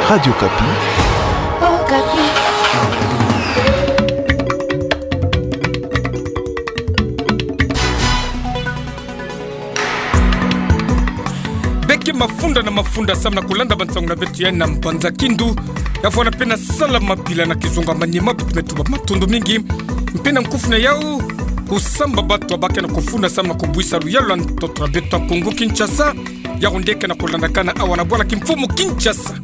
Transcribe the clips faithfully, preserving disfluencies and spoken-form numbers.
Radio Okapi. Okapi. Beke mafunda na mafunda samu na kulanda bansangu na beto ya na mbanza Kindu. Ya fwana pena sala mabila na kizunga Maniema, beto me tuba matondo mingi. Mpe na nkufi na yau, kusamba bato abake na kufunda samu na kubwisa luyalu ya ntoto na beto ya Kongo Kinshasa. Yau nde ke na kulandakana awa na bwala kimfumu Kinshasa.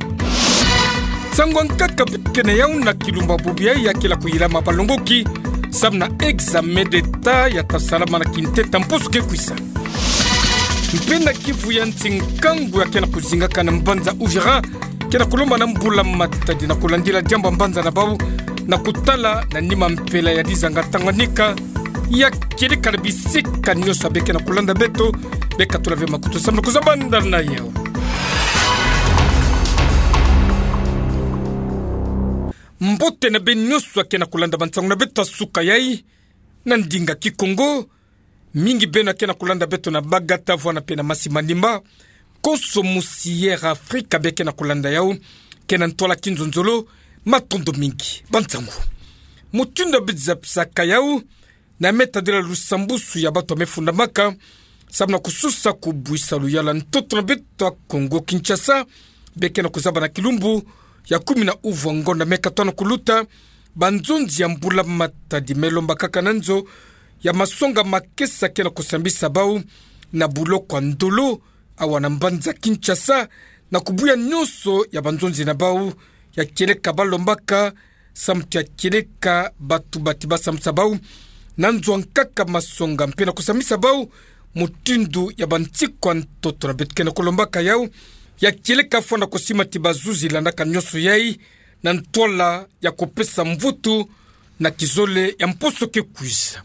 Nsangu ya nkaka beto ke na yau na kilumbu bubu yayi ya kela kuyilama balongoki samu na examen d'État ya ta salama na kinteta mposo ke kwisa. Mpe na Kivu ya nsi, nkangu ya ke na kuzingaka na mbanza Uvira ke na kulomba na mbula matadi na kulandila diambu ya mbanza na bau na kutala na nima mpela ya dizanga Tanganyika ya kieleka na bisika nyonso. Beke na kulanda beto, beka tula ve makutu samu na kuzabanda na yau. Mbote na beno nyonso ya ke na kulanda bansangu na beto ya suka yayi na ndinga Kikongo. Mingi beno ya ke na kulanda beto na Bagata, vwana pena Masi Manimba, konso musi Air Afrika beke na kulanda yau, ke na ntwala kinzonzolo, matondo mingi. Bansangu. Mutindu ya beto zabisaka yau, na me tadila lusambusu ya bato ya me fundamaka samu na kususa kubwisa luyalu ya ntoto na beto ya Kongo Kinshasa, beke na kuzaba na kilumbu ya kumi na uvwa ngonda me katono kuluta. Banzonzi ya mbula matadi me lomba kaka na nzo ya masonga makesa ke na kusambisa bau na buloko ya Ndolo, awa na mbanza Kinshasa, na kubuya nyonso ya banzonzi na bau ya kieleka balombaka, samu ti ya kieleka bato bati basambisa bau na nzo ya nkaka masonga mpe na kusambisa bau mutindu ya bansiku ya ntoto na beto ke na kulombaka yau, ya kieleka fwana kusima ti bazuzi landaka nyonso yayi na ntwala ya kupesa mvutu na kizole ya mposo ke kwiza.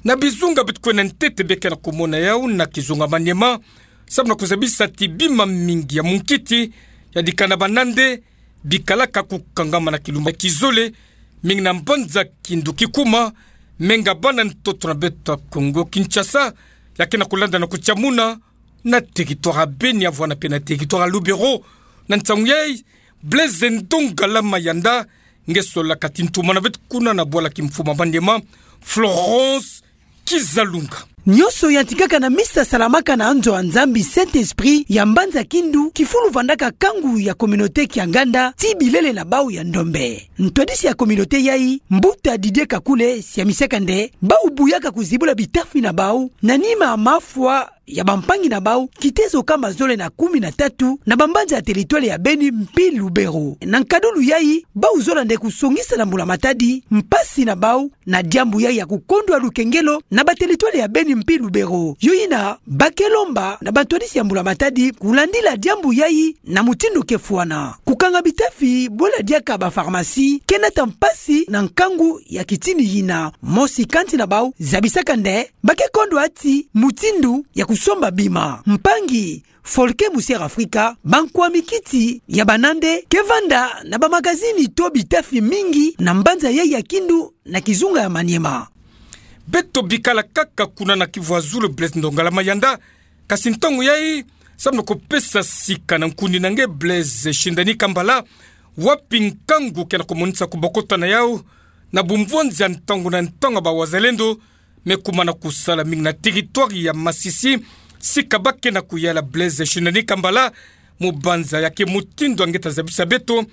Na bizunga beto kwenda ntete beke na kumona yau na kizunga Maniema, samu na kuzabisa ti bima mingi ya munkiti ya dikana banande bikalaka kukangama na kilumbu ya kizole, mingi na mbanza Kindu Kikuma, menga bana ntoto na beto ya Kongo Kinshasa, ya ke na kulanda na kutiamuna na territoire ya Beni, vwana pena territoire ya Lubero. Na nsangu yayi, Blaise Ndongala Mayanda nge solaka ti ntuma na beto kuna na bwala kimfumu ya Maniema, Florence Kizalunga. Nyonso yantikaka na misa salamaka na nzo ya Nzambi Saint-Esprit ya mbanza Kindu, kifulu vandaka kangu ya communauté Kianganda ti bilele na bau ya ndombe. Ntwadisi ya communauté yayi, Mbuta Didier Kakule, siamisaka nde bau buyaka kuzibula bitafi na bau na nima ya mafwa ya bampangi na bau, kitezo kama zole na kumi na tatu na bambanza ya territoire ya Beni mpi Lubero. Na nkadulu yayi, bau zola nde kusongisa na mbula matadi mpasi na bau na diambu yayi ya kukondwa lukengelo na ba territoire ya Beni mpi Lubero. Yo yina ba ke lomba na bantwadisi ya mbula matadi kulandila diambu yayi na mutindu ke fwana. Kukanga bitafi bwela diaka ba pharmacie ke nata mpasi na nkangu ya kitini yina. Mosi kati na bau zabisaka nde ba ke kondwa ti mutindu ya kusomba bima. Mpangi Folke Musier Afrika, bankwami kiti ya banande ke vanda na bamagazini to bitafi mingi na mbanza yayi ya Kindu na kizunga ya Maniema. Beto bikala kaka kuna na Kivu ya Zulu, Blaise Ndongala Mayanda, kasi ntangu yayi, samu na kupesa sika na nkundi na nge Blaise Shindani Kambala, wapi nkangu ke na kumonisa kubokota na yau na bumvonzi ya ntangu na ntangu ya ba wazalendo me kuma na kusala mingi na territoire ya Masisi, sika ba ke na kuyala Blaise Shindani Kambala, mubanza ya ke mutindu ya nge ta zabisa beto,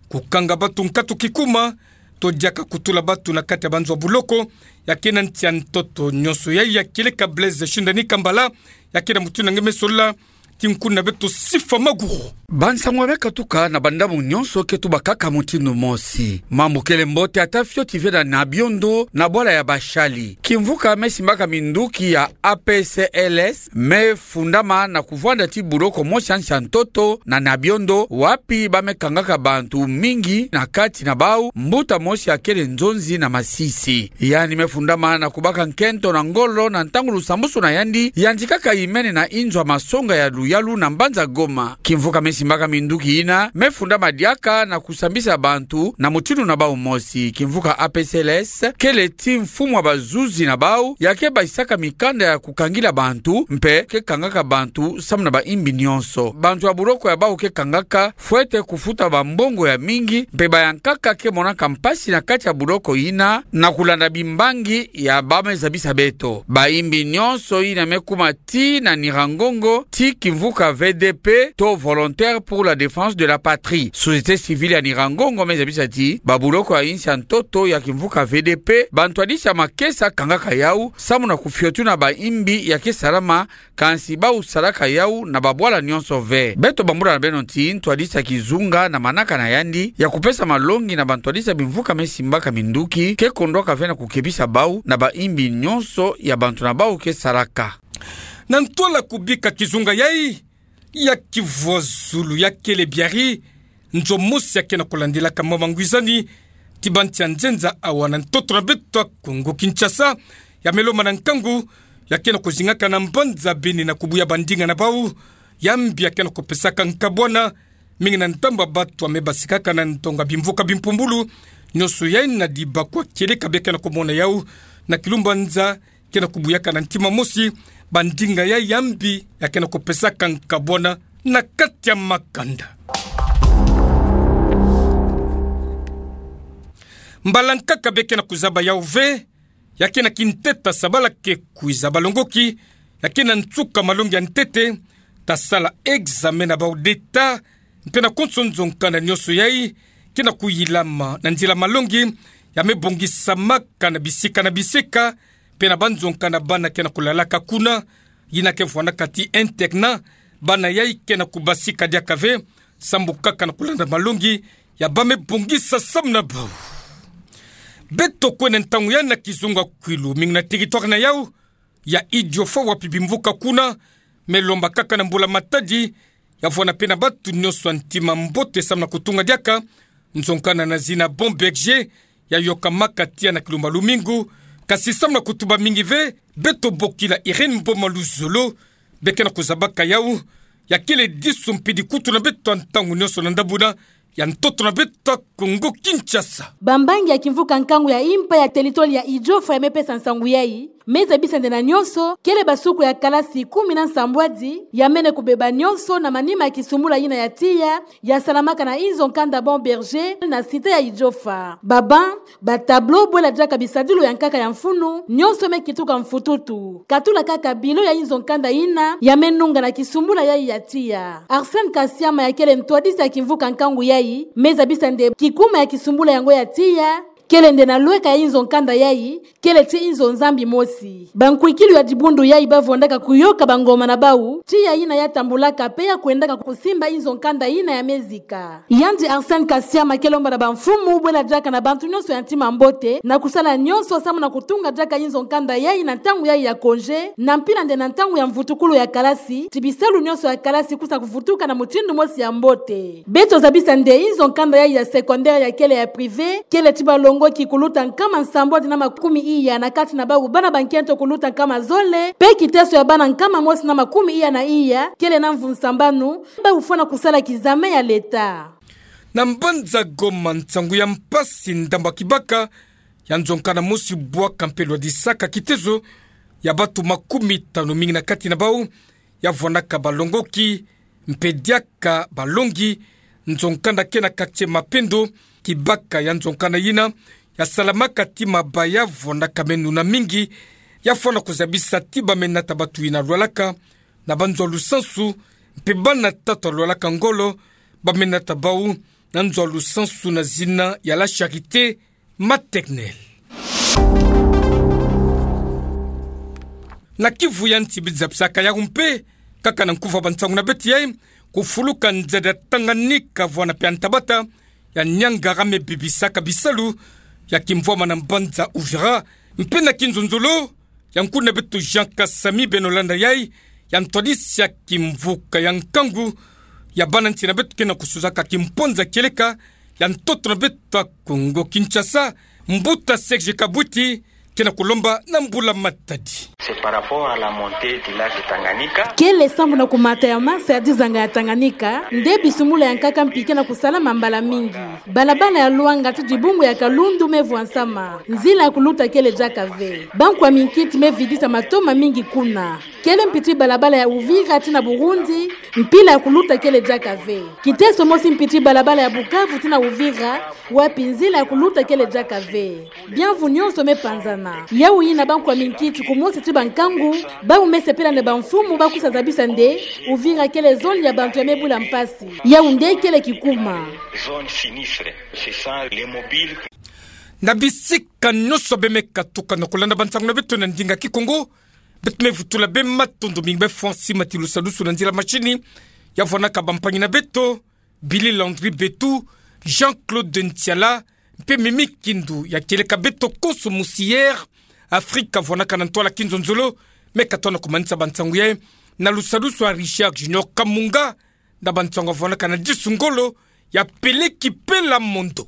kukanga bato nkatu kikuma, to diaka kutula bato na kati ya banzo ya buloko, ya ke na nsi ya ntoto nyonso yayi ya kieleka Blaise Shindani Kambala, ya ke na mutindu ya nge me solola ti nkundi na beto Sifa Maguru. Bansangu ya me katuka na bandambu nyonso ke tubakaka mutindu mosi. Mambu kele mbote ata fioti ve na Nabiondo na bwala ya basali. Kimvuka me simbaka minduki ya A P C L S me fundama na kuvwanda ti buloko mosi ya nsi ya ntoto na Nabiondo, wapi ba me kangaka bantu mingi, na kati na bau mbuta mosi ya kele nzonzi na Masisi. Yandi me fundama na kubaka nkento na ngolo na ntangu lusambusu na yandi yantikaka imene na inzo ya masonga ya luyalu na mbanza Goma. Kimvuka me Simbaka minduki ina me fundama diaka na kusambisa bantu na mutindu na bau mosi. Kimvuka A P C L S kele ti mfumu wa bazuzi na bau ya ke basisaka mikanda ya kukangila bantu mpe ke kangaka bantu samu na baimbi nionso. Bantu ya buloko ya bau ke kangaka fwete kufuta bambongo ya mingi mpe bayankaka ke monaka mpasi na kati ya buloko ina na kulanda bimbangi ya bau, me zabisa beto. Baimbi nionso ina me kuma ti na Nyiragongo ti kimvuka V D P to Volontaires pour la Défense de la Patrie. Société civile ya Nyiragongo me zabisa ti babuloko ya insi ya ntoto ya kimvuka V D P, bantwadisi ya makesa kangaka yau samu na kufiotuna baimbi ya ke salama, kansi bau salaka yau na babwala nionso ve. Beto bambula na beno ti ntwadisi ya kizunga na manaka na yandi ya kupesa malongi na bantwadisi ya bimvuka me simbaka minduki ke kondwaka ve na kukebisa bau na baimbi nionso ya bantu na bau ke salaka. Na ntwala kubika kizunga yai ya kivwazulu ya kele biari, nzo mosi ya ke na kulandilaka mwa mangwizani ti bansi ya nzenza awa na ntoto na beto ya Kongo Kinshasa, ya me lomba na nkangu ya ke na kuzingaka na mbanza Beni na kubuya bandinga na bau ya mbi ya ke na kupesaka nkabwana mingi na ndambu ya bato ya me basikaka na ndonga bimvuka bimpumbulu. Nionso yai na dibakwa kieleka bia ke na kumona yau na kilumbanza ke na kubuyaka na ntima mosi bandinga yai ya mbi ya ke na kupesaka nkabwana na kati ya makanda. Mbala nkaka bia ke na kuzaba yau ve, ya ke na kinteta sabala ke kwiza balongoki ya ke na nsuka malongi ya ntete, ta sala examen na bau d'État, mpe na konso nzo nkanda nionso yai ke na kuyilama na nzila malongi ya me bongisamaka na bisika na bisika, mpe na banzo nkanda bana ke na kulalaka kuna, yina ke vwanaka ti internat. Bana yai ke na kubasika diaka ve, sambu kaka na kulanda malongi ya bau me bongisa samu na bau. Beto kwenda ntangu yai na kizunga kwilu mingi na territoire na yau ya Idiofa, wapi bimvuka kuna me lomba kaka na mbula-matadi ya vwanda mpe na bato nionso ya ntima mbote samu na kutunga diaka nzo nkanda na zina Bon Berger, ya yokamaka tiya na kilumba lumingu. Kasi samu na kutuba mingi ve, beto bokila Irène Mboma Luzolo, bia ke na kuzabaka yau, ya kele disu mpidi kutu na beto ya ntangu nionso na ndabuna ya ntoto na beto ya Kongo Kinshasa. Bambangi ya kimvuka nkangu ya impa ya territoire ya Idiofa ya me pesa nsangu yai, me zabisa nde na nionso kele basuku ya kalasi kumi na nsambwadi ya mene kubeba nionso na manima ya kisumbula yina ya tiya, ya salamaka na inzo nkanda Bon Berger na cité ya Idiofa. Babanc, batableau, bwela diaka bisadilu ya nkaka ya mfunu, nionso me kituka mfututu. Katula kaka bilo ya inzo nkanda yina ya me nunga na kisumbula yai ya tiya. Arsène Kasiama, ya kele ntwadisi ya kimvuka nkangu yai, me zabisa nde kikuma ya kisumbula yango ya tiya kele nde na lweka ya inzo nkanda yai, kele ti inzo nzambi mosi. Bankwikilu ya dibundu yai ba vwandaka kuyoka bangoma na bau, tiya yina ya tambulaka mpe ya kwendaka kusimba inzo nkanda yina ya me zika. Yandi Arsène Kasiama ke lomba na bamfumu, bwela diaka na bantu nionso ya ntima mbote, na kusala nionso samu na kutunga diaka inzo nkanda yai na ntangu yai ya congé, na mpila nde na ntangu ya mvutukulu ya kalasi, ti bisalu nionso ya kalasi kusa kuvutuka na mutindu mosi ya mbote. Beto zabisa nde inzo nkanda yai ya secondaire ya kele ya privé, kele ti balongoki kuluta nkama nsambwadi na makumi iya, na kati na bau bana bankento kuluta nkama zole, mpe kiteso ya bana nkama mosi na makumi iya na iya, kele na mvu nsambanu, bau fwana kusala kizame ya leta. Na mbanza Goma, nsangu ya mpasi ndambu ya kibaka ya nzo nkanda mosi bwaka mpe lwadisaka kitezo ya bato makumi tanu, mingi na kati na bau ya vwanaka balongoki, mpe diaka balongi. Nzo nkanda ke na quartier Mapendo, kibaka ya nzo nkanda yina ya salamaka ti mabaya vwanaka meno na mingi, ya fwana kuzabisa ti ba me nata bato yina lwalaka na banzo ya lusansu, mpe bana tatu ya lwalaka ngolo, ba me nata bau na nzo ya lusansu na zina ya La Charité Maternelle. Na Kivu ya Nsi, biza bisaka yau mpe, kaka na nkufa bansangu na beto yai, kufuluka nzeda Tanganyika vwana mpe ya ntabata ya Niangara me bibisaka bisalu ya kimvwama na mbanza Uvira, mpe na kinzonzolo ya nkuna beto Jean Kasami, beno landa yai, ya ntwadisi ya kimvuka ya nkangu ya bana nsi na beto ke na kusuzaka kimponza kieleka ya ntoto na beto ya Kongo Kinshasa, mbuta Serge Kabwiti, ke na kulomba na mbula matadi. C'est par rapport à la montée du lac Tanganyika. Kele sambu na kumata ya mase ya dizanga ya Tanganyika, nde bisumulu ya nkaka mpi ke na kusalama mbala mingi. Balabala ya Luanga ti Dibungu ya Kalundu me vwansama. Nzila ya kuluta kele diaka ve. Bankwa minkiti me vidisa mato mamingi kuna. Kele mpiti balabala ya Uvira ti na Burundi, mpila ya kuluta kele diaka ve. Kiteso mosi mpiti balabala ya Bukavu ti na Uvira, wapi nzila ya kuluta kele diaka ve. Bianvu nionso me panzana. Yawu yina bankwa minkiti kumosi ti bankangu, bawu me sepela nde bamfumu ba kusa zabisa nde Uvira kele zone ya bantu ya me bula mpasi. Yawu nde kele kikuma. Zone sinistre, ce sont les mobiles. Na bisika nionso be me katuka na kulanda bansangu na beto na ndinga Kikongo, beto me vutula bê matondo mingi bê Francis Matilusalusu na nzila machini, ya vwanaka bampangi na beto, Billy Landry Betu, Jean-Claude Ntiala, mpe Mimi Kindu, ya kieleka beto konso musi yere Afrika vwanaka na ntwala kinzonzolo, me katona kumanisa bansangu yayi, na lusalusu ya Richard Junior Kamunga, na bansangu ya vwanaka na disu ngolo, ya peleki pela mondo.